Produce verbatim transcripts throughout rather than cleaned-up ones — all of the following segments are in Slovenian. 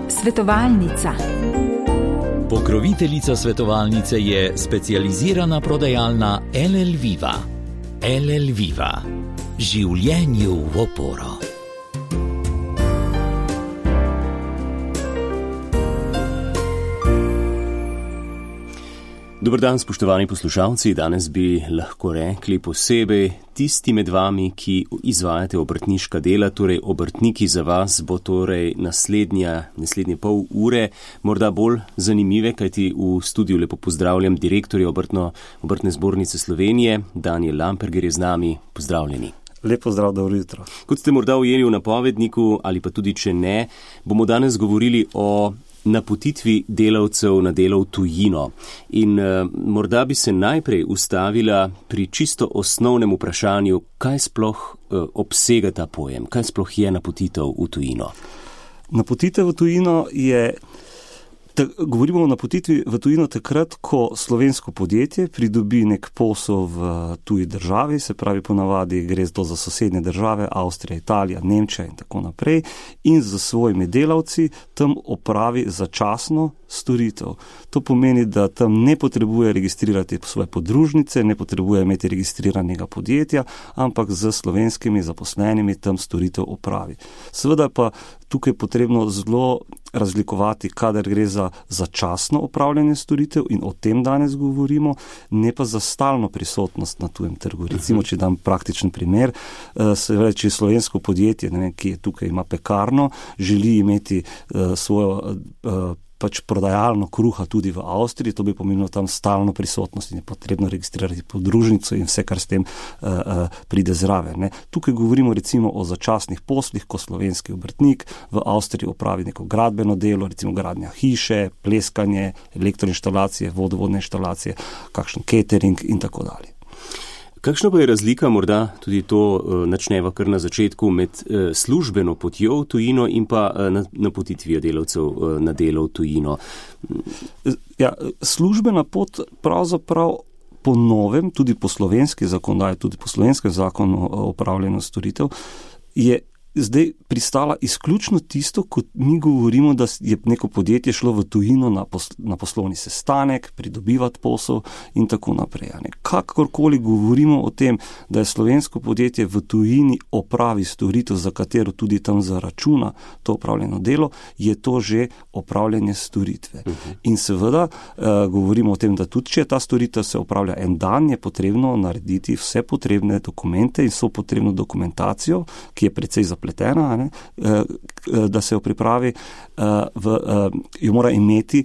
Svetovalnica. Pokroviteljica svetovalnice je specializirana prodajalna L L Viva. L L Viva. Življenju v oporo. Dober dan, spoštovani poslušalci. Danes bi lahko rekli posebej tisti med vami, ki izvajate obrtniška dela, torej obrtniki za vas bo torej naslednja, naslednje pol ure morda bolj zanimive, kajti v studiu lepo pozdravljam direktorja obrtno, obrtne zbornice Slovenije, Daniel Lamperger je z nami. Pozdravljeni. Lepo zdrav, dobro jutro. Kot ste morda ujeli v napovedniku, ali pa tudi če ne, bomo danes govorili o napotitvi delavcev na delo v tujino. In uh, morda bi se najprej ustavila pri čisto osnovnem vprašanju, kaj sploh uh, obsega ta pojem, kaj sploh je napotitev v tujino. Napotitev v tujino je, ta, govorimo o napotitvi v tujino takrat, ko slovensko podjetje pridobi nek posel v tuji državi, se pravi ponavadi gre to za sosednje države, Avstrija, Italija, Nemčija in tako naprej, in z svojimi delavci tam opravi začasno storitev. To pomeni, da tam ne potrebuje registrirati svoje podružnice, ne potrebuje imeti registriranega podjetja, ampak z slovenskimi zaposlenimi tam storitev opravi. Seveda pa tukaj je potrebno zelo razlikovati, kadar gre za začasno opravljanje storitev, in o tem danes govorimo, ne pa za stalno prisotnost na tujem trgu. Recimo, če dam praktičen primer, se reči slovensko podjetje, ne vem, ki je tukaj ima pekarno, želi imeti uh, svojo uh, pač prodajalno kruha tudi v Avstriji, to bi pomenilo tam stalno prisotnost in je potrebno registrirati podružnico in vse, kar s tem uh, uh, pride zraven. Ne. Tukaj govorimo recimo o začasnih poslih, ko slovenski obrtnik v Avstriji opravi neko gradbeno delo, recimo gradnja hiše, pleskanje, elektroinštalacije, vodovodne inštalacije, kakšen catering in tako dalje. Kakšna pa je razlika, morda tudi to uh, načneva kar na začetku, med uh, službeno potjo v tujino in pa uh, napotitvijo delavcev uh, na delo v tujino? Ja, službena pot pravzaprav po novem, tudi po slovenski zakonodaji, tudi po slovenskem zakonu o opravljanju storitev, je zdaj pristala izključno tisto, kot mi govorimo, da je neko podjetje šlo v tujino na, posl- na poslovni sestanek, pridobivati posel in tako naprej. Kakorkoli govorimo o tem, da je slovensko podjetje v tujini opravi storitev, za katero tudi tam zaračuna to opravljeno delo, je to že opravljanje storitve. Uh-huh. In seveda uh, govorimo o tem, da tudi če ta storitev se opravlja en dan, je potrebno narediti vse potrebne dokumente in vso potrebno dokumentacijo, ki je precej zapletena, Pletena, ne, da se jo pripravi, v, jo mora imeti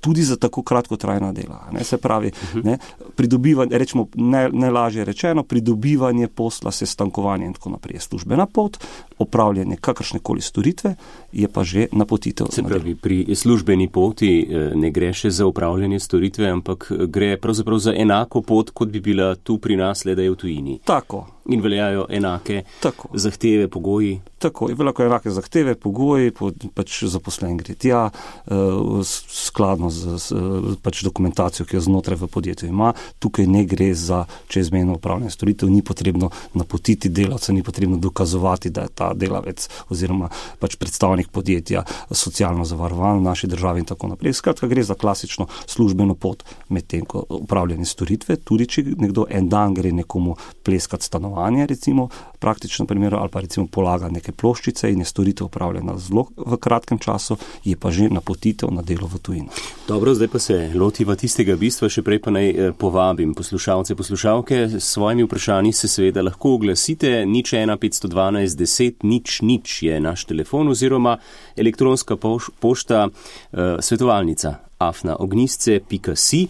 tudi za tako kratkotrajna dela. Ne, se pravi, uh-huh. ne, pridobivanje, rečemo, ne, najlažje rečeno, pridobivanje posla, sestankovanje in tako naprej je službena pot, opravljanje kakršnekoli storitve je pa že napotitev. Se pravi, pri službeni poti ne gre še za upravljanje storitve, ampak gre pravzaprav za enako pot, kot bi bila tu pri nas, le da je v tujini. Tako. In veljajo enake tako. zahteve, pogoji. Tako, in veljajo enake zahteve, pogoji, pač zaposlen gre tja, skladno z, z pač dokumentacijo, ki jo znotraj v podjetju ima. Tukaj ne gre za čezmejno upravljanje storitev, ni potrebno napotiti delavca, ni potrebno dokazovati, da je ta delavec oziroma pač predstavnik podjetja socialno zavarovan v naši državi in tako naprej. Skratka, gre za klasično službeno pot med tem, ko upravljanje storitve, tudi če nekdo en dan gre nekomu pleskati stanovanje, recimo, praktično primeru, ali pa recimo polaga neke ploščice in je storitev upravljena zelo v kratkem času, je pa že napotitev na delo v tujino. Dobro, zdaj pa se lotiva tistega bistva, še prej pa naj eh, povabim poslušalce, poslušalke, s svojimi vprašanji se seveda lahko oglasite, nič ena petsto dvanajst deset nič nič je naš telefon oziroma elektronska poš, pošta eh, svetovalnica afna ognisce pika si.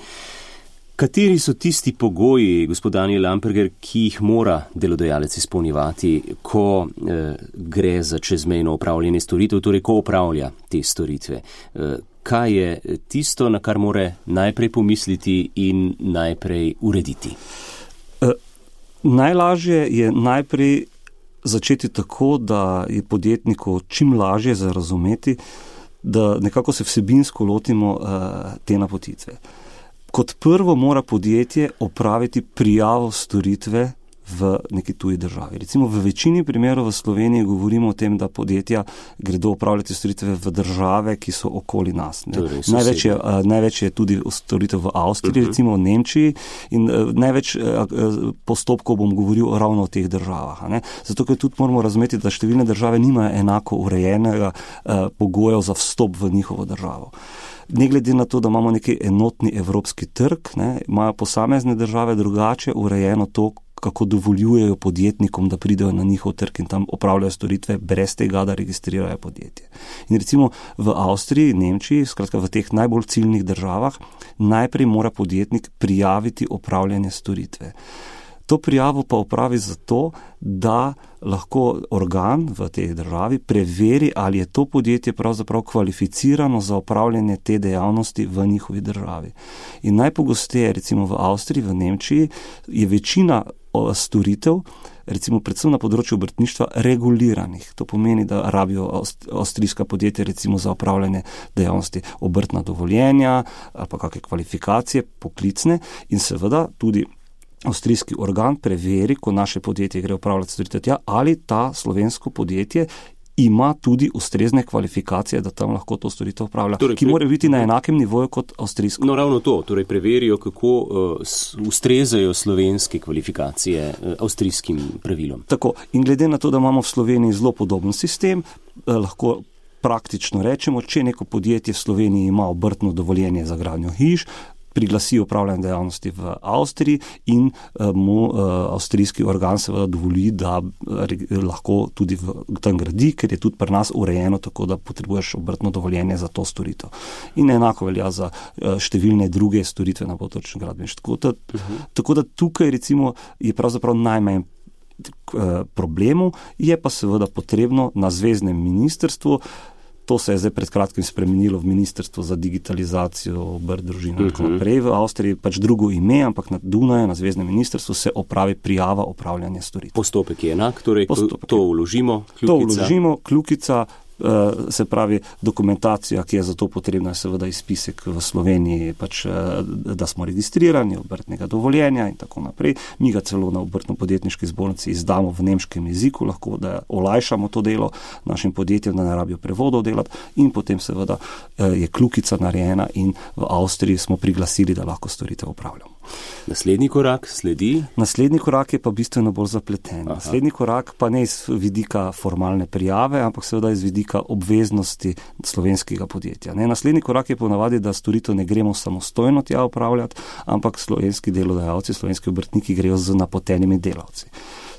Kateri so tisti pogoji, gospod Daniel Lamperger, ki jih mora delodajalec izpolnjevati, ko eh, gre za čezmejno opravljanje storitev, torej ko opravlja te storitve? Eh, kaj je tisto, na kar mora najprej pomisliti in najprej urediti? Eh, najlažje je najprej začeti tako, da je podjetniku čim lažje za razumeti, da nekako se vsebinsko lotimo eh, te napotitve. Kot prvo mora podjetje opraviti prijavo storitve v neki tuji državi. Recimo v večini primerov v Sloveniji govorimo o tem, da podjetja gredo opravljati storitve v države, ki so okoli nas. Torej, največ, je, uh, največ je tudi storitev v Avstriji, uh-huh. recimo v Nemčiji in uh, največ uh, postopkov bom govoril ravno o teh državah. Ne? Zato, ker tudi moramo razumeti, da številne države nimajo enako urejenega uh, pogojev za vstop v njihovo državo. Ne glede na to, da imamo neki enotni evropski trg, ne, imajo posamezne države drugače urejeno to, kako dovoljujejo podjetnikom, da pridejo na njihov trg in tam opravljajo storitve brez tega, da registrirajo podjetje. In recimo v Avstriji, Nemčiji, skratka v teh najbolj ciljnih državah, najprej mora podjetnik prijaviti opravljanje storitve. To prijavo pa opravi zato, da lahko organ v tej državi preveri, ali je to podjetje pravzaprav kvalificirano za opravljanje te dejavnosti v njihovi državi. In najpogosteje, recimo v Avstriji, v Nemčiji, je večina storitev, recimo predvsem na področju obrtništva, reguliranih. To pomeni, da rabijo avstrijska podjetja recimo za opravljanje dejavnosti obrtna dovoljenja ali pa kakšne kvalifikacije, poklicne in seveda tudi avstrijski organ preveri, ko naše podjetje gre opravljati storitev tja, ali ta slovensko podjetje ima tudi ustrezne kvalifikacije, da tam lahko to storitev upravlja, torej, ki mora biti na enakem nivoju kot avstrijsko. No, ravno to, torej preverijo, kako uh, ustrezajo slovenske kvalifikacije uh, avstrijskim pravilom. Tako, in glede na to, da imamo v Sloveniji zelo podoben sistem, eh, lahko praktično rečemo, če neko podjetje v Sloveniji ima obrtno dovoljenje za gradnjo hiš, priglasi opravljanje dejavnosti v Avstriji in uh, mu uh, avstrijski organ seveda dovoli, da uh, lahko tudi v, tam gradi, ker je tudi pri nas urejeno tako, da potrebuješ obrtno dovoljenje za to storitev. In enako velja za uh, številne druge storitve na področju gradbeništva. Tako da, uh-huh. tako da tukaj recimo je pravzaprav najmanj uh, problemov, je pa seveda potrebno na zveznem ministrstvu. To se je zdaj pred kratkim spremenilo v Ministrstvo za digitalizacijo, obrt, družino in tako naprej. V Avstriji pač drugo ime, ampak na Dunaju, na zveznem ministrstvu se opravi prijava opravljanja storitev. Postopek je enak, torej Postopek to vložimo, kljukica. To vložimo, kljukica, se pravi dokumentacija, ki je za to potrebna, je seveda izpisek v Sloveniji, pač, da smo registrirani, obrtnega dovoljenja in tako naprej. Mi ga celo na obrtno-podjetniški zbornici izdamo v nemškem jeziku, lahko da olajšamo to delo našim podjetjem, da ne rabijo prevodov delati in potem seveda je kljukica narejena in v Avstriji smo priglasili, da lahko storitev upravljamo. Naslednji korak sledi? Naslednji korak je pa bistveno bolj zapleten. Aha. Naslednji korak pa ne iz vidika formalne prijave, ampak seveda iz vidika obveznosti slovenskega podjetja. Ne, naslednji korak je ponavadi, da storitev ne gremo samostojno tja upravljati, ampak slovenski delodajalci, slovenski obrtniki grejo z napotenimi delavci.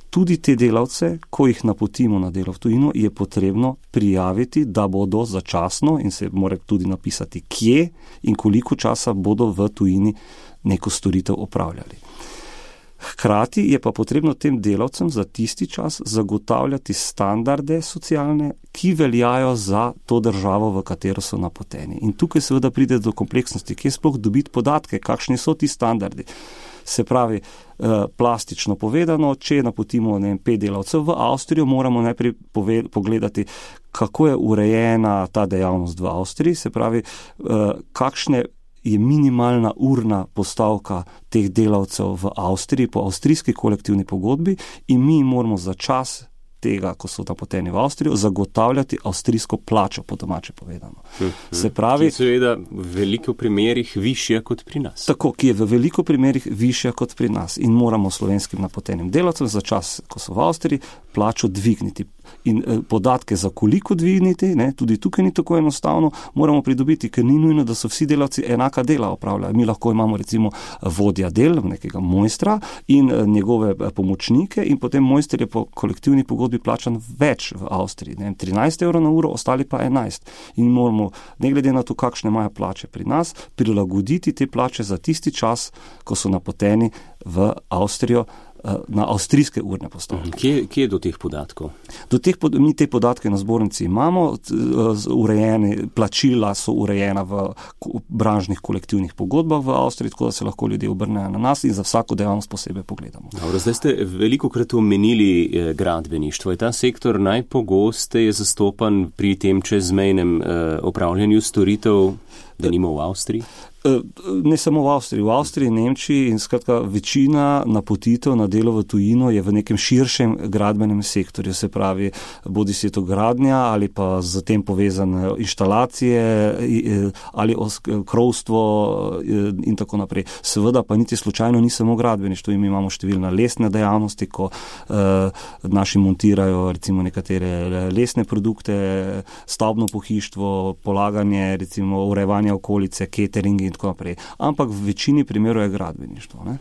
Tudi te delavce, ko jih napotimo na delo v tujino, je potrebno prijaviti, da bodo začasno in se mora tudi napisati, kje in koliko časa bodo v tujini neko storitev opravljali. Hkrati je pa potrebno tem delavcem za tisti čas zagotavljati standarde socialne, ki veljajo za to državo, v katero so napoteni. In tukaj seveda pride do kompleksnosti, kje sploh dobiti podatke, kakšni so ti standardi. Se pravi, plastično povedano, če napotimo ne vem, pet delavcev v Avstrijo, moramo najprej pove- pogledati, kako je urejena ta dejavnost v Avstriji, se pravi, kakšne je minimalna urna postavka teh delavcev v Avstriji po avstrijski kolektivni pogodbi in mi moramo za čas tega, ko so napoteni v Avstrijo, zagotavljati avstrijsko plačo, po domače povedano. Se pravi, ki je seveda v veliko primerih višja kot pri nas. Tako, ki je v veliko primerih višja kot pri nas in moramo slovenskim napotenim delavcem za čas, ko so v Avstriji, plačo dvigniti. In eh, podatke za koliko dvigniti, ne, tudi tukaj ni tako enostavno, moramo pridobiti, ker ni nujno, da so vsi delavci enaka dela opravljajo. Mi lahko imamo recimo vodja del, nekega mojstra in eh, njegove eh, pomočnike in potem mojster je po kolektivni pogodbi plačan več v Avstriji. Ne, trinajst evrov na uro, ostali pa enajst. In moramo, ne glede na to, kakšne imajo plače pri nas, prilagoditi te plače za tisti čas, ko so napoteni v Avstrijo, na avstrijske urne postavke. Kje, kje je do teh podatkov? Do teh, mi te podatke na zbornici imamo, urejene, plačila so urejena v branžnih kolektivnih pogodbah v Avstriji, tako da se lahko ljudje obrnejo na nas in za vsako dejavnost posebej pogledamo. Dobro, zdaj ste veliko krat omenili gradbeništvo. Je ta sektor najpogosteje zastopan pri tem čezmejnem eh, opravljanju storitev, da nima v Avstriji? Ne samo v Avstriji, v Avstriji, Nemčiji in skratka večina napotitev na delo v tujino je v nekem širšem gradbenem sektorju, se pravi, bodi si to gradnja ali pa z tem povezane inštalacije ali krovstvo in tako naprej. Seveda pa niti slučajno ni samo gradbeništvo, mi imamo številne lesne dejavnosti, ko uh, naši montirajo recimo nekatere lesne produkte, stavbno pohištvo, polaganje, recimo urejevanje okolice, cateringi in tako naprej. Ampak v večini primerov je gradbeništvo. Ne?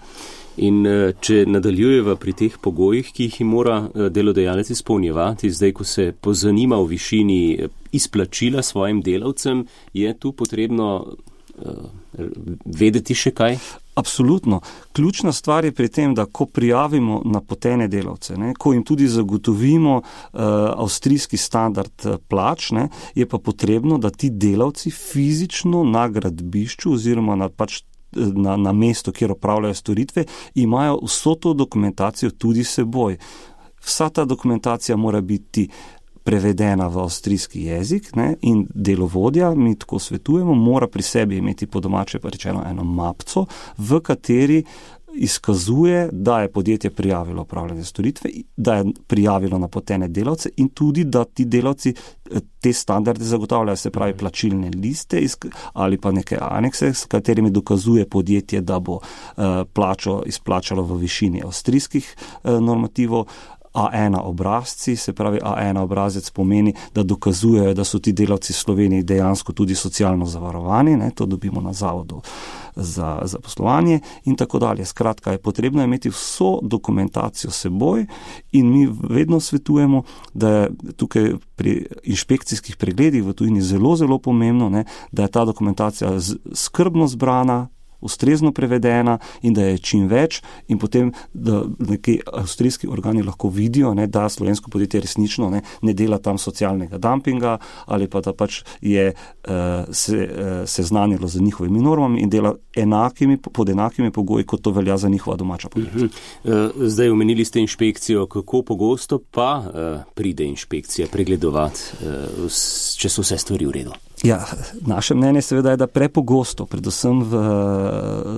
In če nadaljujeva pri teh pogojih, ki jih mora delodajalec izpolnjevati, zdaj, ko se pozanima o višini izplačila svojim delavcem, je tu potrebno uh, vedeti še kaj? Absolutno. Ključna stvar je pri tem, da ko prijavimo napotene delavce, ne, ko jim tudi zagotovimo uh, avstrijski standard plač, ne, je pa potrebno, da ti delavci fizično na gradbišču oziroma na, pač, na, na mesto, kjer opravljajo storitve, imajo vso to dokumentacijo tudi seboj. Vsa ta dokumentacija mora biti prevedena v avstrijski jezik, ne, in delovodja, mi tako svetujemo, mora pri sebi imeti po domače pa rečeno eno mapco, v kateri izkazuje, da je podjetje prijavilo opravljanje storitve, da je prijavilo napotene delavce in tudi, da ti delavci te standarde zagotavljajo, se pravi plačilne liste ali pa neke anekse, s katerimi dokazuje podjetje, da bo uh, plačo izplačalo v višini avstrijskih uh, normativov. A ena obrazci, se pravi A ena obrazec pomeni, da dokazujejo, da so ti delavci v Sloveniji dejansko tudi socialno zavarovani, ne, to dobimo na zavodu za, za poslovanje in tako dalje. Skratka, je potrebno imeti vso dokumentacijo seboj in mi vedno svetujemo, da je tukaj pri inšpekcijskih pregledih v tujini zelo, zelo pomembno, ne, da je ta dokumentacija skrbno zbrana, ustrezno prevedena in da je čim več in potem, da neki avstrijski organi lahko vidijo, ne, da slovensko podjetje resnično ne, ne dela tam socialnega dumpinga ali pa da pač je uh, se, uh, seznanilo z njihovimi normami in dela enakimi, pod enakimi pogoji, kot to velja za njihova domača podjetja. Uh-huh. Zdaj omenili ste inšpekcijo, kako pogosto pa uh, pride inšpekcija pregledovati, uh, če so vse stvari v redu? Ja, naše mnenje seveda je, da prepogosto, predvsem v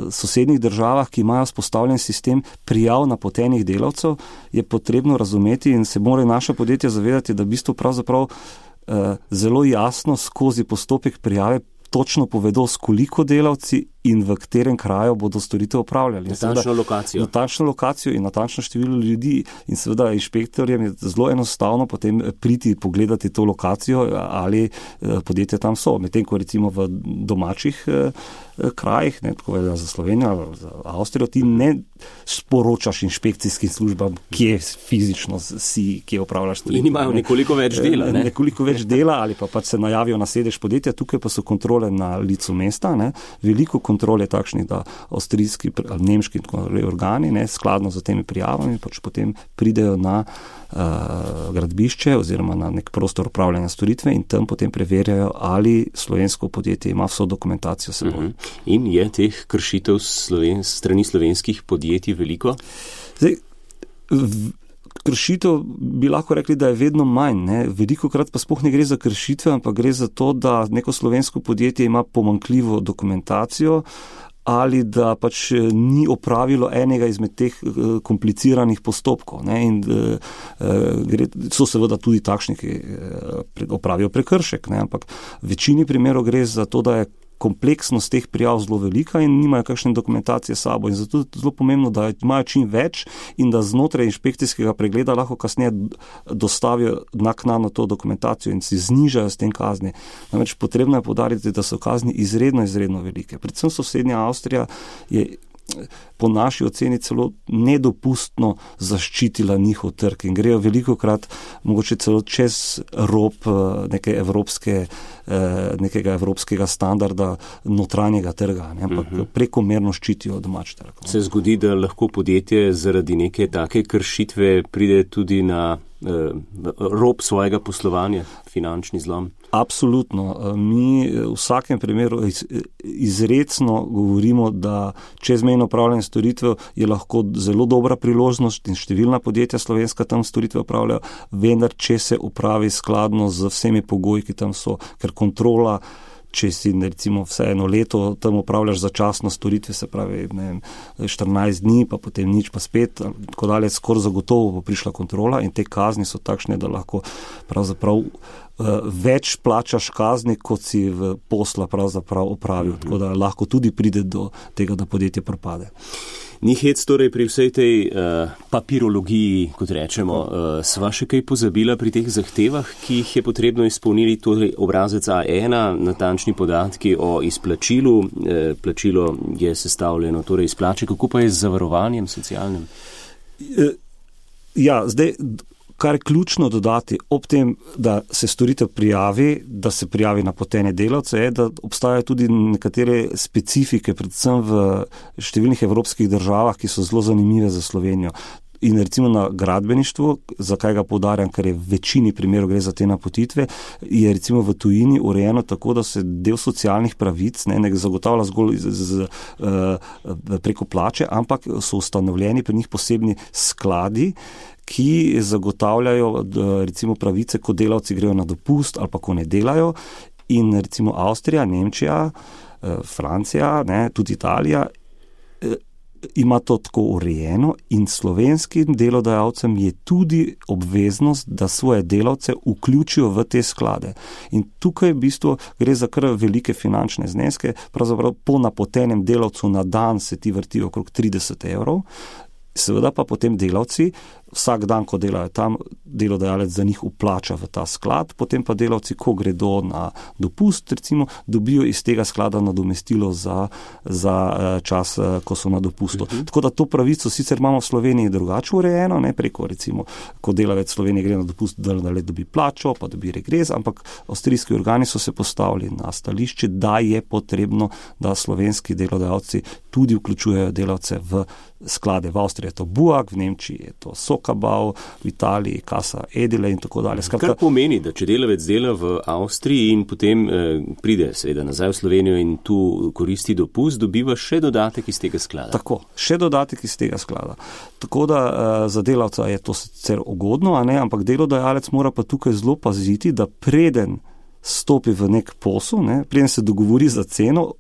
sosednjih državah, ki imajo vzpostavljen sistem prijav napotenih delavcev, je potrebno razumeti in se morajo naša podjetja zavedati, da v bistvu pravzaprav eh, zelo jasno skozi postopek prijave točno povedo, s koliko delavci in v katerem kraju bodo storitev opravljali. Natančno lokacijo. Natančno lokacijo in natančno število ljudi. In seveda inšpektorjem je zelo enostavno potem priti pogledati to lokacijo, ali podjetja tam so. Medtem ko recimo v domačih krajih, ne, tako velja za Slovenijo, za Avstrijo, ti ne sporočaš inšpekcijskim službam, kje fizično si, kje opravljaš storitve. In imajo nekoliko več dela. Ne? Nekoliko več dela ali pa pač se najavijo na sedež podjetja, tukaj pa so kontrole na licu mesta, ne, veliko kontrole takšnih, da avstrijski, nemški organi, ne, skladno z temi prijavami, pač potem pridejo na uh, gradbišče oziroma na nek prostor upravljanja storitve in tam potem preverjajo, ali slovensko podjetje ima vso dokumentacijo seboj. Uh-huh. In je teh kršitev sloven, strani slovenskih podjetij veliko? Zdaj, v, kršitev bi lahko rekli, da je vedno manj. Ne? Veliko krat pa sploh ne gre za kršitve, ampak gre za to, da neko slovensko podjetje ima pomanjkljivo dokumentacijo ali da pač ni opravilo enega izmed teh kompliciranih postopkov. Ne? In gre, so seveda tudi takšni, ki opravijo prekršek, ne? Ampak v večini primerov gre za to, da je kompleksnost teh prijav zelo velika in nimajo kakšne dokumentacije sabo. In zato je zelo pomembno, da imajo čim več in da znotraj inšpekcijskega pregleda lahko kasneje dostavijo naknadno to dokumentacijo in si znižajo s tem kazni. Namreč potrebno je poudariti, da so kazni izredno, izredno velike. Predvsem sosednja Avstrija je po naši oceni celo nedopustno zaščitila njihov trg in grejo velikokrat mogoče celo čez rob neke evropske, nekega evropskega standarda notranjega trga, ne, ampak uh-huh. prekomerno ščitijo domač trg. Se zgodi, da lahko podjetje zaradi neke take kršitve pride tudi na rob svojega poslovanja, finančni zlom? Absolutno. Mi v vsakem primeru izrecno govorimo, da čezmejno upravljanje storitev je lahko zelo dobra priložnost in številna podjetja slovenska tam storitve upravljajo, vendar če se upravi skladno z vsemi pogoji, ki tam so, ker kontrola če si recimo vse eno leto tam upravljaš začasno storitve, se pravi ne vem, štirinajst dni, pa potem nič, pa spet, tako dalje, skoraj zagotovo bo prišla kontrola in te kazni so takšne, da lahko pravzaprav uh, več plačaš kazni, kot si v posla pravzaprav opravil, tako da lahko tudi pride do tega, da podjetje propade. Ni hec torej pri vsej tej uh, papirologiji, kot rečemo. Uh, sva še kaj pozabila pri teh zahtevah, ki jih je potrebno izpolniti, torej obrazec A ena, natančni podatki o izplačilu. Uh, plačilo je sestavljeno torej iz plače, kako pa je z zavarovanjem socialnim? Ja, zdaj, kar je ključno dodati ob tem, da se storitev prijavi, da se prijavi napotene delavce, je, da obstajajo tudi nekatere specifike, predvsem v številnih evropskih državah, ki so zelo zanimive za Slovenijo. In recimo na gradbeništvu, zakaj ga poudarjam, ker je v večini primerov gre za te napotitve, je recimo v tujini urejeno tako, da se del socialnih pravic ne, ne zagotavlja zgolj z, z, z, preko plače, ampak so ustanovljeni pri njih posebni skladi, ki zagotavljajo recimo pravice, ko delavci grejo na dopust ali pa ko ne delajo. In recimo Avstrija, Nemčija, Francija, ne, tudi Italija ima to tako urejeno in slovenskim delodajalcem je tudi obveznost, da svoje delavce vključijo v te sklade. In tukaj v bistvu gre za kar velike finančne zneske, pravzaprav po napotenem delavcu na dan se ti vrtijo okrog trideset evrov, seveda pa potem delavci vsak dan, ko delajo tam, delodajalec za njih vplača v ta sklad, potem pa delavci, ko gredo na dopust, recimo, dobijo iz tega sklada nadomestilo za, za čas, ko so na dopustu. Uh-huh. Tako da to pravico sicer imamo v Sloveniji drugače urejeno, ne preko, recimo, ko delavec Slovenije gre na dopust, da le dobi plačo, pa dobi regres, ampak avstrijski organi so se postavili na stališče, da je potrebno, da slovenski delodajalci tudi vključujejo delavce v sklade. V Avstriji je to Buak, v Nemčiji je to Sokabau, v Italiji Casa Edile in tako dalje. Skratka, kar pomeni, da če delavec dela v Avstriji in potem eh, pride seveda nazaj v Slovenijo in tu koristi dopust, dobiva še dodatek iz tega sklada. Tako, še dodatek iz tega sklada. Tako da eh, za delavca je to sicer ugodno, a ne, ampak delodajalec mora pa tukaj zelo paziti, da preden stopi v nek posel, ne, preden se dogovori za ceno,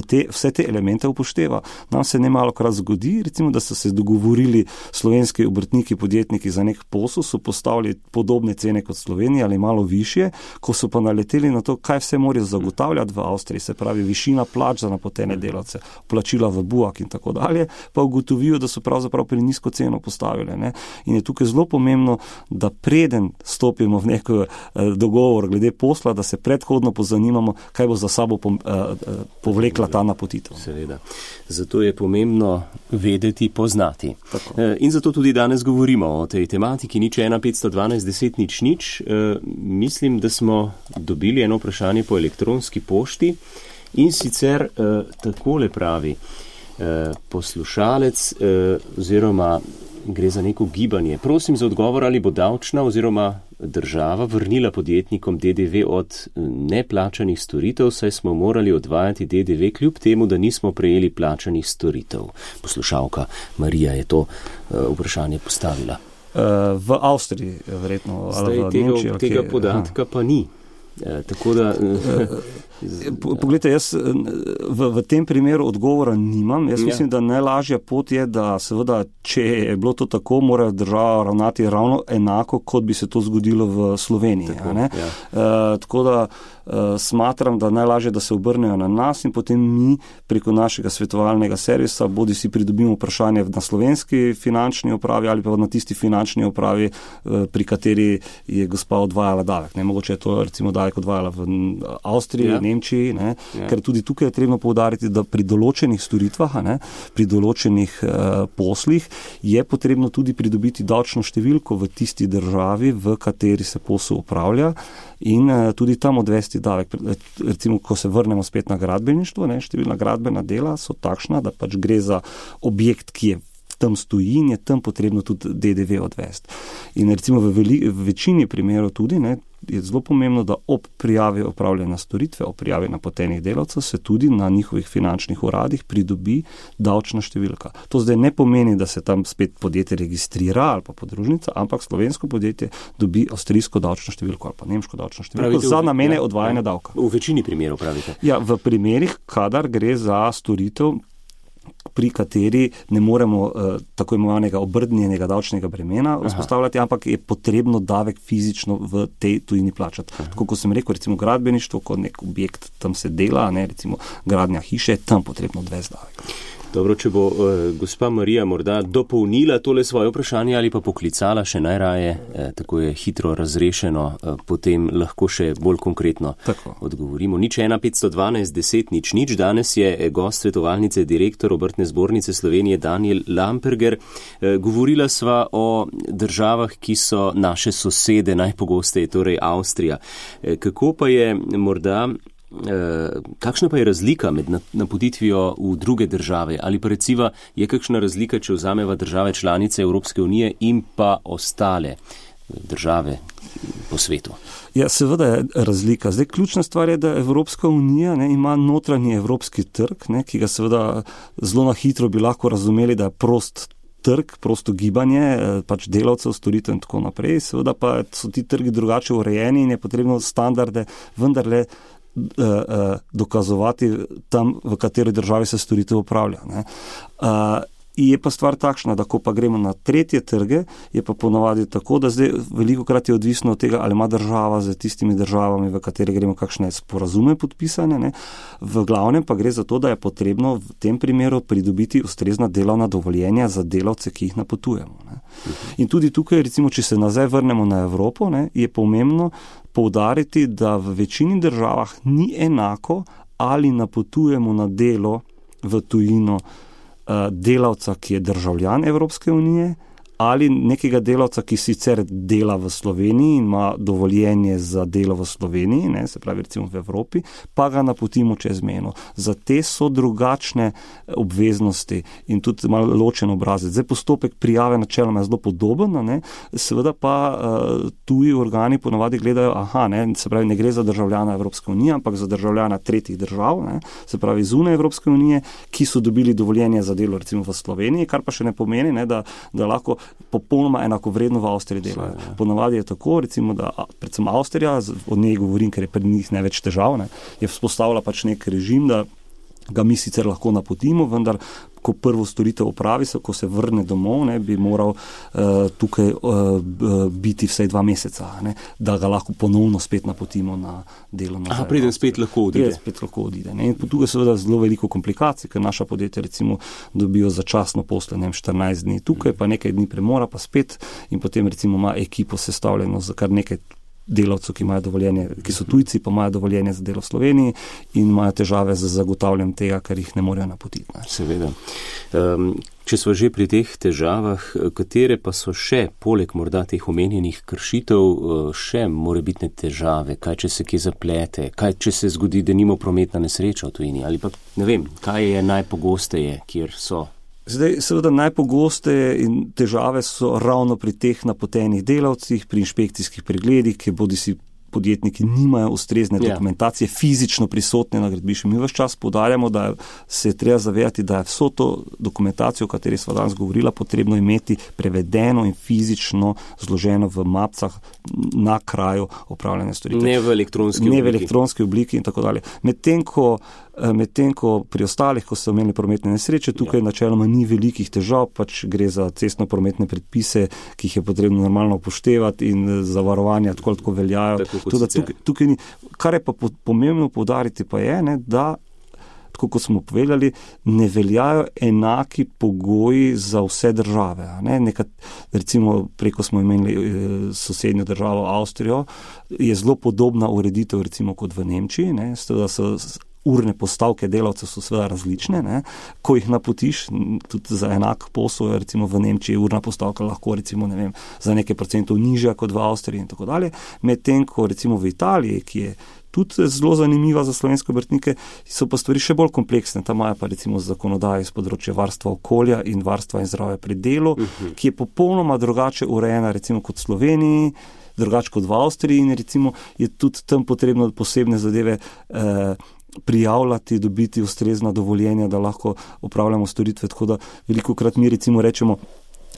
Te, vse te elemente upošteva. Nam se ne malokrat zgodi, recimo, da so se dogovorili slovenski obrtniki, podjetniki za nek posel, so postavili podobne cene kot Slovenija ali malo višje, ko so pa naleteli na to, kaj vse morajo zagotavljati v Avstriji, se pravi višina plač za napotene delavce, plačila v Buak in tako dalje, pa ugotovijo, da so pravzaprav pri nizko ceno postavili. Ne? In je tukaj zelo pomembno, da preden stopimo v nek eh, dogovor glede posla, da se predhodno pozanimamo, kaj bo za sabo pom, eh, povlekla ta napotitev. Seveda. Zato je pomembno vedeti, poznati. Tako. In zato tudi danes govorimo o tej tematiki nič ena petsto dvanajst deset nič nič. Mislim, da smo dobili eno vprašanje po elektronski pošti in sicer takole pravi poslušalec oziroma gre za neko gibanje. Prosim za odgovor, ali bo davčna oziroma država vrnila podjetnikom D D V od neplačanih storitev, saj smo morali odvajati D D V kljub temu, da nismo prejeli plačanih storitev. Poslušalka Marija je to uh, vprašanje postavila. Uh, v Avstriji, verjetno. Zdaj, ali v tega, Nemčiji, ali tega kje, podatka aha. pa ni. Uh, tako da... Uh, Poglejte, jaz v, v tem primeru odgovora nimam. Jaz mislim, ja. da najlažja pot je, da seveda, če je bilo to tako, mora država ravnati ravno enako, kot bi se to zgodilo v Sloveniji. Tako, ne? Ja. Uh, tako da uh, smatram, da najlažje, da se obrnejo na nas in potem mi preko našega svetovalnega servisa bodi si pridobimo vprašanje na slovenski finančni upravi ali pa na tisti finančni upravi, uh, pri kateri je gospa odvajala davek. Ne? Mogoče je to recimo davek odvajala v Avstriji, ja. Nemčiji, ne, ja. ker tudi tukaj je trebno poudariti, da pri določenih storitvah, ne, pri določenih uh, poslih je potrebno tudi pridobiti davčno številko v tisti državi, v kateri se posel upravlja in uh, tudi tam odvesti davek. Recimo, ko se vrnemo spet na gradbeništvo, ne, številna gradbena dela so takšna, da pač gre za objekt, ki je tam stoji in je tam potrebno tudi D D V odvesti. In recimo v, veli, v večini primerov tudi, ne, je zelo pomembno, da ob prijavi opravljena storitve, ob prijavi napotenih delavcev se tudi na njihovih finančnih uradih pridobi davčna številka. To zdaj ne pomeni, da se tam spet podjetje registrira ali pa podružnica, ampak slovensko podjetje dobi avstrijsko davčno številko ali pa nemško davčno številko pravite, za namene ja, odvajanja davka. V večini primerov pravite? Ja, v primerih, kadar gre za storitev, pri kateri ne moremo uh, tako imenovanega obrnjenega davčnega bremena vzpostavljati, ampak je potrebno davek fizično v tej tujini plačati. Aha. Tako kot sem rekel, recimo gradbeništvo, kot nek objekt tam se dela, ne, recimo gradnja hiše, tam potrebno odvesti davek. Dobro, če bo uh, gospa Marija morda dopolnila tole svoje vprašanje ali pa poklicala še najraje, eh, tako je hitro razrešeno, eh, potem lahko še bolj konkretno tako odgovorimo. Nič ena petsto dvanajst deset nič nič. Danes je gost svetovalnice direktor Obrtne zbornice Slovenije Danijel Lamperger. Eh, govorila sva o državah, ki so naše sosede najpogosteje, torej Avstrija. Eh, kako pa je morda Uh, kakšna pa je razlika med napotitvijo v druge države? Ali pa recimo je kakšna razlika, če vzameva države članice Evropske unije in pa ostale države po svetu? Ja, seveda je razlika. Zdaj, ključna stvar je, da Evropska unija ne, ima notranji evropski trg, ne, ki ga seveda zelo na hitro bi lahko razumeli, da je prost trg, prosto gibanje, pač delavcev, storitev in tako naprej. Seveda pa so ti trgi drugače urejeni in je potrebno standarde vendarle dokazovati tam, v kateri državi se storitev upravlja. Ne. Uh, je pa stvar takšna, da ko pa gremo na tretje trge, je pa ponavadi tako, da zdaj veliko krat je odvisno od tega, ali ima država z tistimi državami, v kateri gremo kakšne sporazume podpisane. Ne. V glavnem pa gre za to, da je potrebno v tem primeru pridobiti ustrezna delovna dovoljenja za delavce, ki jih napotujemo. Ne. In tudi tukaj, recimo, če se nazaj vrnemo na Evropo, ne, je pomembno poudariti, da v večini državah ni enako, ali napotujemo na delo v tujino delavca, ki je državljan Evropske unije, ali nekega delavca, ki sicer dela v Sloveniji in ima dovoljenje za delo v Sloveniji, ne, se pravi recimo v Evropi, pa ga napotimo čez mejo. Za te so drugačne obveznosti in tudi malo ločen obrazec. Zdaj postopek prijave načeloma je zelo podoben, ne, seveda pa uh, tuji organi ponavadi gledajo, aha, ne, se pravi ne gre za državljana Evropske unije, ampak za državljana tretjih držav, ne, se pravi zunaj Evropske unije, ki so dobili dovoljenje za delo recimo v Sloveniji, kar pa še ne pomeni, ne, da, da lahko popolnoma enakovredno v Avstriji delajo. Ponavadi je tako, recimo, da predvsem Avstrija, od njej govorim, ker je pred njih največ težav, ne, je vzpostavila pač nek režim, da ga mi sicer lahko napotimo, vendar ko prvo storitev opravi, ko se vrne domov, ne, bi moral uh, tukaj uh, biti vsaj dva meseca, ne, da ga lahko ponovno spet napotimo na delo. Aha, preden spet lahko odide. Preden spet lahko odide. Ne. In tukaj seveda zelo veliko komplikacij, ker naša podjetja recimo dobijo začasno posle, ne vem, štirinajst dni tukaj, pa nekaj dni premora, pa spet in potem recimo ima ekipo sestavljeno za kar nekaj delavcev, ki imajo dovoljenje, ki so tujci, pa imajo dovoljenje za delo v Sloveniji in imajo težave z zagotavljanjem tega, ker jih ne morejo napotiti. Ne. Seveda. Um, če smo že pri teh težavah, katere pa so še, poleg morda teh omenjenih kršitev, še morebitne težave? Kaj, če se kje zaplete? Kaj, če se zgodi, da nima prometna nesreča v tujini? Ali pa, ne vem, kaj je najpogosteje, kjer so? Zdaj, seveda najpogosteje in težave so ravno pri teh napotenih delavcih, pri inšpekcijskih pregledih, ki bodi si podjetniki nimajo ustrezne dokumentacije, yeah. fizično prisotne na gradbišču. Mi ves čas poudarjamo, da se je treba zavedati, da je vso to dokumentacijo, o kateri sva danes govorila, potrebno imeti prevedeno in fizično zloženo v mapcah na kraju opravljanja storitev. Ne v elektronski obliki. Ne v elektronski obliki in tako dalje. Medtem ko Medtem ko pri ostalih, ko so imeli prometne nesreče, tukaj ja. načeloma ni velikih težav, pač gre za cestno-prometne predpise, ki jih je potrebno normalno upoštevati in zavarovanja tako tako veljajo. Tako tukaj, tukaj ni. Kar je pa pomembno poudariti pa je, ne, da, tako kot smo povedali, ne veljajo enaki pogoji za vse države. Ne. Nekat, recimo preko smo imeli e, sosednjo državo Avstrijo, je zelo podobna ureditev recimo kot v Nemčiji, ne, da so urne postavke delavcev so seveda različne, ne. Ko jih napotiš, tudi za enak posel, recimo v Nemčiji urna postavka lahko recimo, ne vem, za nekaj procentov nižja kot v Avstriji in tako dalje. Medtem ko recimo v Italiji, ki je tudi zelo zanimiva za slovenske obrtnike, so pa stvari še bolj kompleksne. Tam imajo pa recimo zakonodajo iz področja varstva okolja in varstva in zdravja pri delu, uh-huh. ki je popolnoma drugače urejena recimo kot v Sloveniji, drugače kot v Avstriji in recimo je tudi tam potrebno posebne zadeve eh, prijavljati, dobiti ustrezna dovoljenja, da lahko upravljamo storitve, tako da velikokrat mi recimo rečemo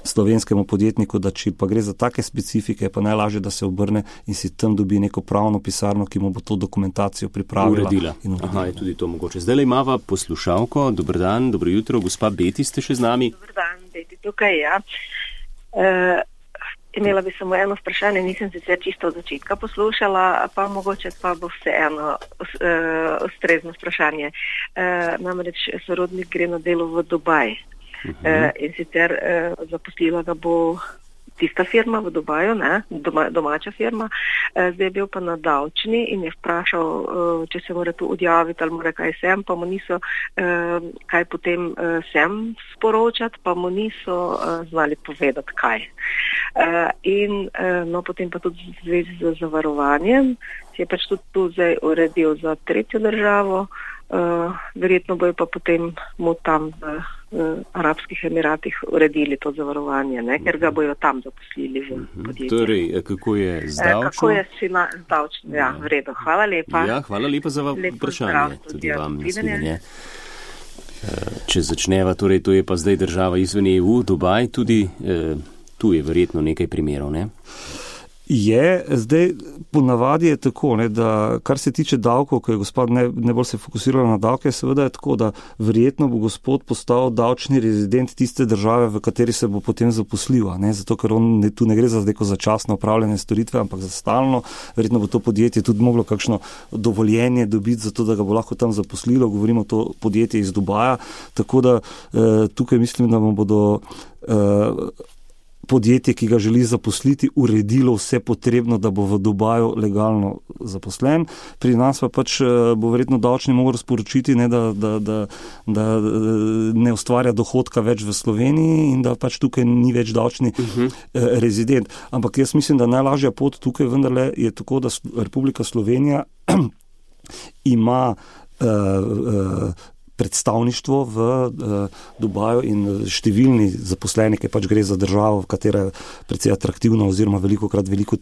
slovenskemu podjetniku, da če pa gre za take specifike, pa najlažje, da se obrne in si tam dobi neko pravno pisarno, ki mu bo to dokumentacijo pripravila. Uredila. In uredila. Aha, je tudi to mogoče. Zdaj le imava poslušalko. Dober dan, dobro jutro. Gospa Beti, ste še z nami? Dober dan, Beti, tukaj, ja. Uh, imela bi samo eno vprašanje, nisem sicer čisto od začetka poslušala, pa mogoče pa bo vseeno uh, ustrezno vprašanje. Uh, namreč sorodnik gre na delo v Dubaj. Uh-huh. Uh, in sicer uh, zaposlila ga bo tista firma v Dubaju, ne, doma, domača firma, uh, zdaj je bil pa na davčni in je vprašal, uh, če se mora tu odjaviti ali mora kaj sem, pa mu niso uh, kaj potem uh, sem sporočati, pa mu niso uh, znali povedati kaj. Uh, in uh, no, potem pa tudi v zvezi z zavarovanjem, si je pač tudi tu zdaj uredil za tretjo državo, uh, verjetno bojo pa potem mu tam v v Arabskih Emiratih uredili to zavarovanje, ne? Ker ga bojo tam zaposlili v podjetju. Torej, kako je z davčno? Kako je s davčno? Ja, v redu. Hvala lepa. Ja, hvala lepa za vprašanje. Tudi vam nasvidenje. Če začneva, torej, to je pa zdaj država izven E U, Dubaj, tudi eh, tu je verjetno nekaj primerov, ne? Je, zdaj ponavadi je tako, ne, da kar se tiče davkov, ko je gospod ne, ne bolj se fokusirala na davke, seveda je tako, da verjetno bo gospod postal davčni rezident tiste države, v kateri se bo potem zaposlil, ne, zato ker on ne, tu ne gre za neko začasno upravljanje storitve, ampak za stalno, verjetno bo to podjetje tudi moglo kakšno dovoljenje dobiti, zato da ga bo lahko tam zaposlilo, govorimo to podjetje iz Dubaja, tako da eh, tukaj mislim, da mu bodo eh, podjetje, ki ga želi zaposliti, uredilo vse potrebno, da bo v Dubaju legalno zaposlen. Pri nas pa pač bo verjetno davčni mogel sporočiti, ne, da, da, da, da ne ustvarja dohodka več v Sloveniji in da pač tukaj ni več davčni uh-huh. rezident. Ampak jaz mislim, da najlažja pot tukaj vendarle je tako, da Republika Slovenija ima uh, uh, predstavništvo v uh, Dubaju in številni zaposleni, ki pač gre za državo, v katera je precej atraktivna oziroma velikokrat veliko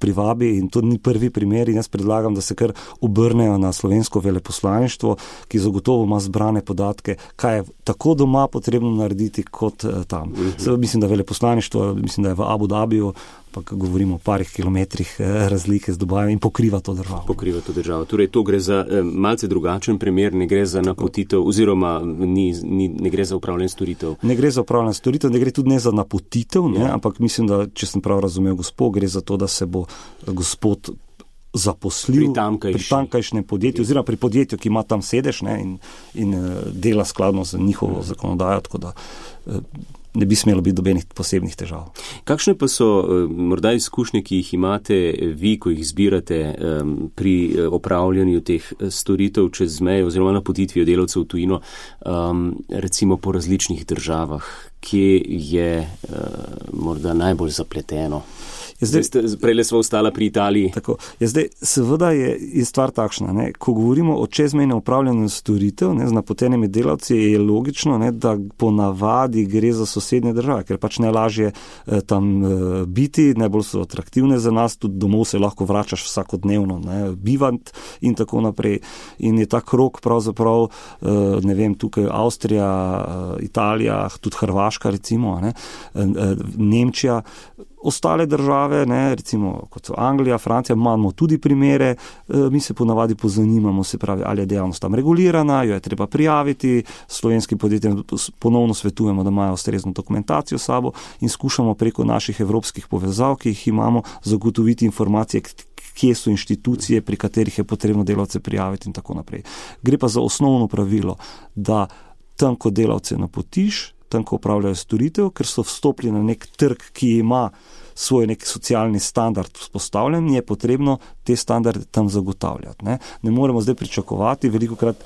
privabi in to ni prvi primer in jaz predlagam, da se kar obrnejo na slovensko veleposlaništvo, ki zagotovo ima zbrane podatke, kaj je tako doma potrebno narediti kot uh, tam. Mm-hmm. Seveda mislim, da veleposlaništvo, mislim, da je v Abu Dhabiju, pa govorimo o parih kilometrih razlike z Dubajem in pokriva to državo. Pokriva to državo. Torej, to gre za eh, malce drugačen primer, ne gre za napotitev oziroma ni, ni, ne gre za upravljanje storitev. Ne gre za upravljanje storitev, ne gre tudi ne za napotitev, ne, ja. Ampak mislim, da, če sem prav razumel gospod, gre za to, da se bo gospod zaposlil pri, pri tamkajšnjem podjetju, oziroma pri podjetju, ki ima tam sedež, ne, in, in dela skladno z njihovo ja. zakonodajo, tako da ne bi smelo biti dobenih posebnih težav. Kakšne pa so morda izkušnje, ki jih imate vi, ko jih zbirate um, pri opravljanju teh storitev čez mejo oziroma napotitvijo delavcev v tujino, um, recimo po različnih državah, kje je uh, morda najbolj zapleteno? Prejle smo ostala pri Italiji. Tako, je zdaj, seveda je, je stvar takšna, ne, ko govorimo o čezmejnem upravljanju storitev, ne, z napotenimi delavci, je logično, ne, da ponavadi gre za sosednje države, ker pač najlažje eh, tam eh, biti, najbolj so atraktivne za nas, tudi domov se lahko vračaš vsakodnevno, ne, bivant in tako naprej. In je ta krog pravzaprav, eh, ne vem, tukaj Avstrija, eh, Italija, tudi Hrvaška recimo, ne, eh, Nemčija, ostale države, ne, recimo kot so Anglija, Francija, imamo tudi primere, e, mi se ponavadi pozanimamo, se pravi, ali je dejavnost tam regulirana, jo je treba prijaviti, slovenskim podjetjem ponovno svetujemo, da imajo ustrezno dokumentacijo s sabo in skušamo preko naših evropskih povezav, ki jih imamo, zagotoviti informacije, kje so inštitucije, pri katerih je potrebno delavce prijaviti in tako naprej. Gre pa za osnovno pravilo, da tam, ko delavce napotiš, tam, ko upravljajo storitev, ker so vstopili na nek trg, ki ima svoj nek socialni standard vzpostavljen, je potrebno te standarde tam zagotavljati. Ne, ne moremo zdaj pričakovati, velikokrat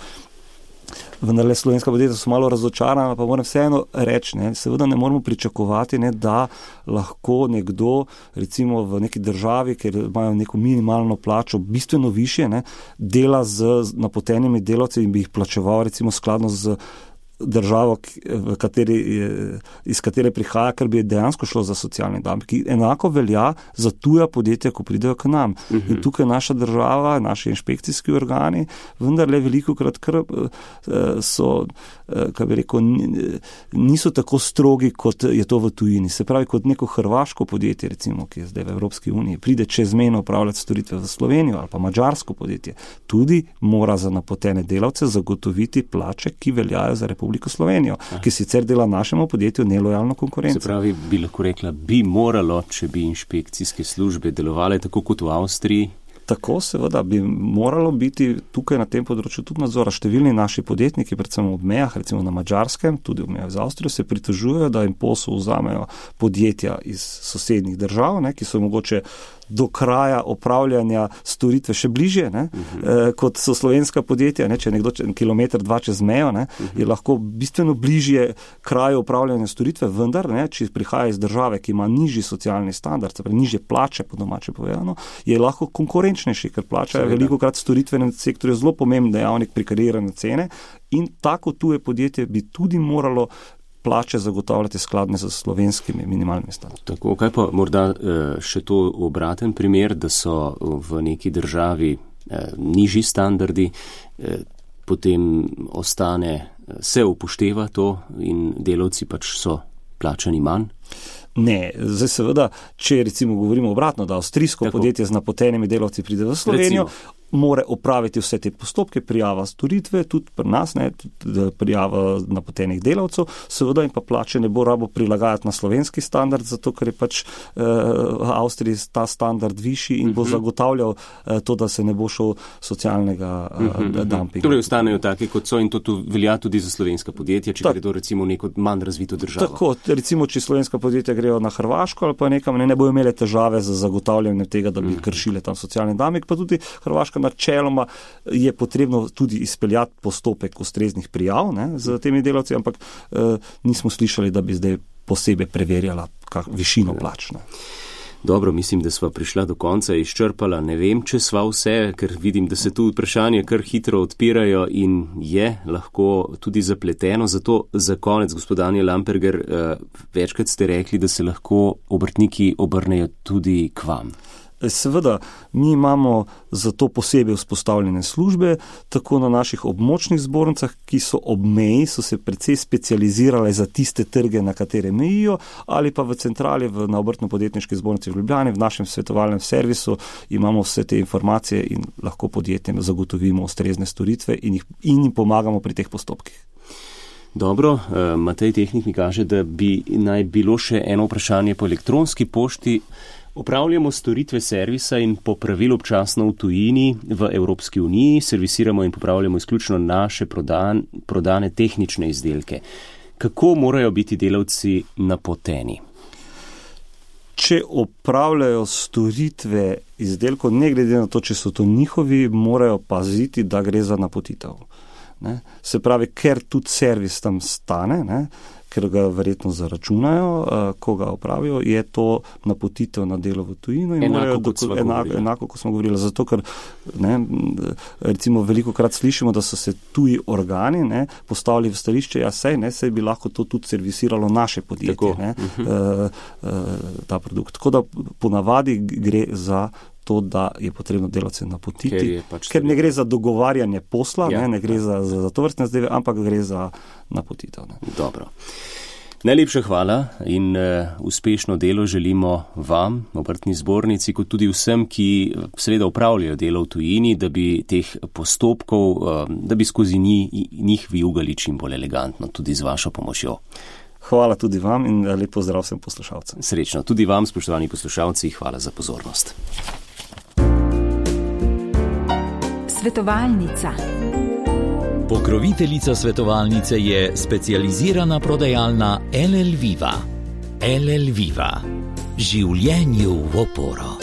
vendarle slovenska podjetja so malo razočarana, pa moram vseeno reči, ne, seveda ne moramo pričakovati, ne, da lahko nekdo, recimo v neki državi, ker imajo neko minimalno plačo, bistveno višje, ne, dela z napotenimi delavci in bi jih plačeval recimo skladno z državo, v kateri, iz katere prihaja, ker bi dejansko šlo za socialni dumping. Enako velja za tuja podjetja, ko pridejo k nam. Uh-huh. In tukaj naša država, naši inšpekcijski organi, vendar le veliko krat kar so, kaj bi rekel, niso tako strogi, kot je to v tujini. Se pravi, kot neko hrvaško podjetje, recimo, ki je zdaj v Evropski uniji, pride čezmejno upravljati storitve v Slovenijo ali pa mađarsko podjetje, tudi mora za napotene delavce zagotoviti plače, ki veljajo za Republiko Slovenijo, ki sicer dela našemu podjetju nelojalno konkurenco. Se pravi, bi lahko rekla, bi moralo, če bi inšpekcijske službe delovale tako kot v Avstriji? Tako, seveda, bi moralo biti tukaj na tem področju tudi nadzora. Številni naši podjetniki, predvsem ob mejah, recimo na Mađarskem, tudi ob mejah z Avstrijo, se pritožujejo, da jim posel vzamejo podjetja iz sosednjih držav, ne, ki so mogoče do kraja opravljanja storitve še bližje, ne, uh-huh. eh, kot so slovenska podjetja, ne, če je nekdo kilometer, dva čez mejo, ne, uh-huh. je lahko bistveno bližje kraju opravljanja storitve, vendar, ne, če prihaja iz države, ki ima nižji socialni standard, se pravi nižje plače, po domače povedano, je lahko konkurenčnejši, ker plača je veliko krat storitvenem sektorju zelo pomemben dejavnik pri kreiranju cene in tako tuje podjetje bi tudi moralo plače zagotavljati skladne z slovenskimi minimalnimi standardi. Tako, kaj pa morda še to obraten primer, da so v neki državi nižji standardi, potem ostane, se upošteva to in delavci pač so plačani manj? Ne, zdaj seveda, če recimo govorimo obratno, da avstrijsko Tako. podjetje z napotenimi delavci pride v Slovenijo, recimo. More opraviti vse te postopke, prijava storitve, tudi pri nas, ne, tudi prijava napotenih delavcev, seveda in pa plače ne bo rabo prilagajati na slovenski standard, zato ker je pač eh, v Avstriji ta standard višji in uh-huh. bo zagotavljal eh, to, da se ne bo šel socialnega eh, uh-huh. dumpinga. Torej ostanejo take, kot so in to tu velja tudi za slovenska podjetja, če Ta, gredo recimo v neko manj razvito državo. Tako, recimo, če slovenska podjetja grejo na Hrvaško ali pa nekam, ne, ne bojo imele težave za zagotavljanje tega, da bi uh-huh. kršile tam socialni dumping, pa tudi Hrvaška načeloma je potrebno tudi izpeljati postopek ustreznih prijav, ne, z temi delavci, ampak eh, nismo slišali, da bi zdaj posebej preverjala kak, višino plač. Ne. Dobro, mislim, da sva prišla do konca, izčrpala. Ne vem, če sva vse, ker vidim, da se tu vprašanje kar hitro odpirajo in je lahko tudi zapleteno. Zato za konec, gospod Daniel Lamperger, eh, večkrat ste rekli, da se lahko obrtniki obrnejo tudi k vam. Seveda, mi imamo za to posebej vzpostavljene službe, tako na naših območnih zbornicah, ki so ob meji, so se precej specializirale za tiste trge, na katere mejijo, ali pa v centrali v, na obrtno-podjetniški zbornici v Ljubljani, v našem svetovalnem servisu imamo vse te informacije in lahko podjetjem zagotovimo ustrezne storitve in, jih, in jim pomagamo pri teh postopkih. Dobro, Matej Tehnik mi kaže, da bi naj bilo še eno vprašanje po elektronski pošti. Opravljamo storitve servisa in popravil občasno v tujini v Evropski uniji, servisiramo in popravljamo izključno naše prodan, prodane tehnične izdelke. Kako morajo biti delavci napoteni? Če opravljajo storitve izdelkov, ne glede na to, če so to njihovi, morajo paziti, da gre za napotitev. Ne? Se pravi, ker tudi servis tam stane, ne? Ker ga verjetno zaračunajo, ko ga opravijo, je to napotitev na delo v tujino. In enako, kot doko, enako, enako, kot smo govorili. Zato, ker ne, recimo veliko krat slišimo, da so se tuji organi ne, postavili v stališče, ja sej, ne, sej bi lahko to tudi servisiralo naše podjetje, ne, uh-huh. uh, ta produkt. Tako da ponavadi gre za to, da je potrebno delavce napotiti, ker, pač ker ne gre za dogovarjanje posla, ja, ne, ne gre ja. za, za, za to vrstne zdaj, ampak gre za napotitev. Ne. Dobro. Najlepša hvala in uh, uspešno delo želimo vam, obrtni zbornici, kot tudi vsem, ki seveda upravljajo delo v tujini, da bi teh postopkov, uh, da bi skozi njih, njih vijugali čim bolj elegantno, tudi z vašo pomočjo. Hvala tudi vam in lep pozdrav vsem poslušalcem. Srečno. Tudi vam, spoštovani poslušalci, hvala za pozornost. Svetovalnica. Pokroviteljica svetovalnice je specializirana prodajalna L L Viva. L L Viva. Življenju v oporo.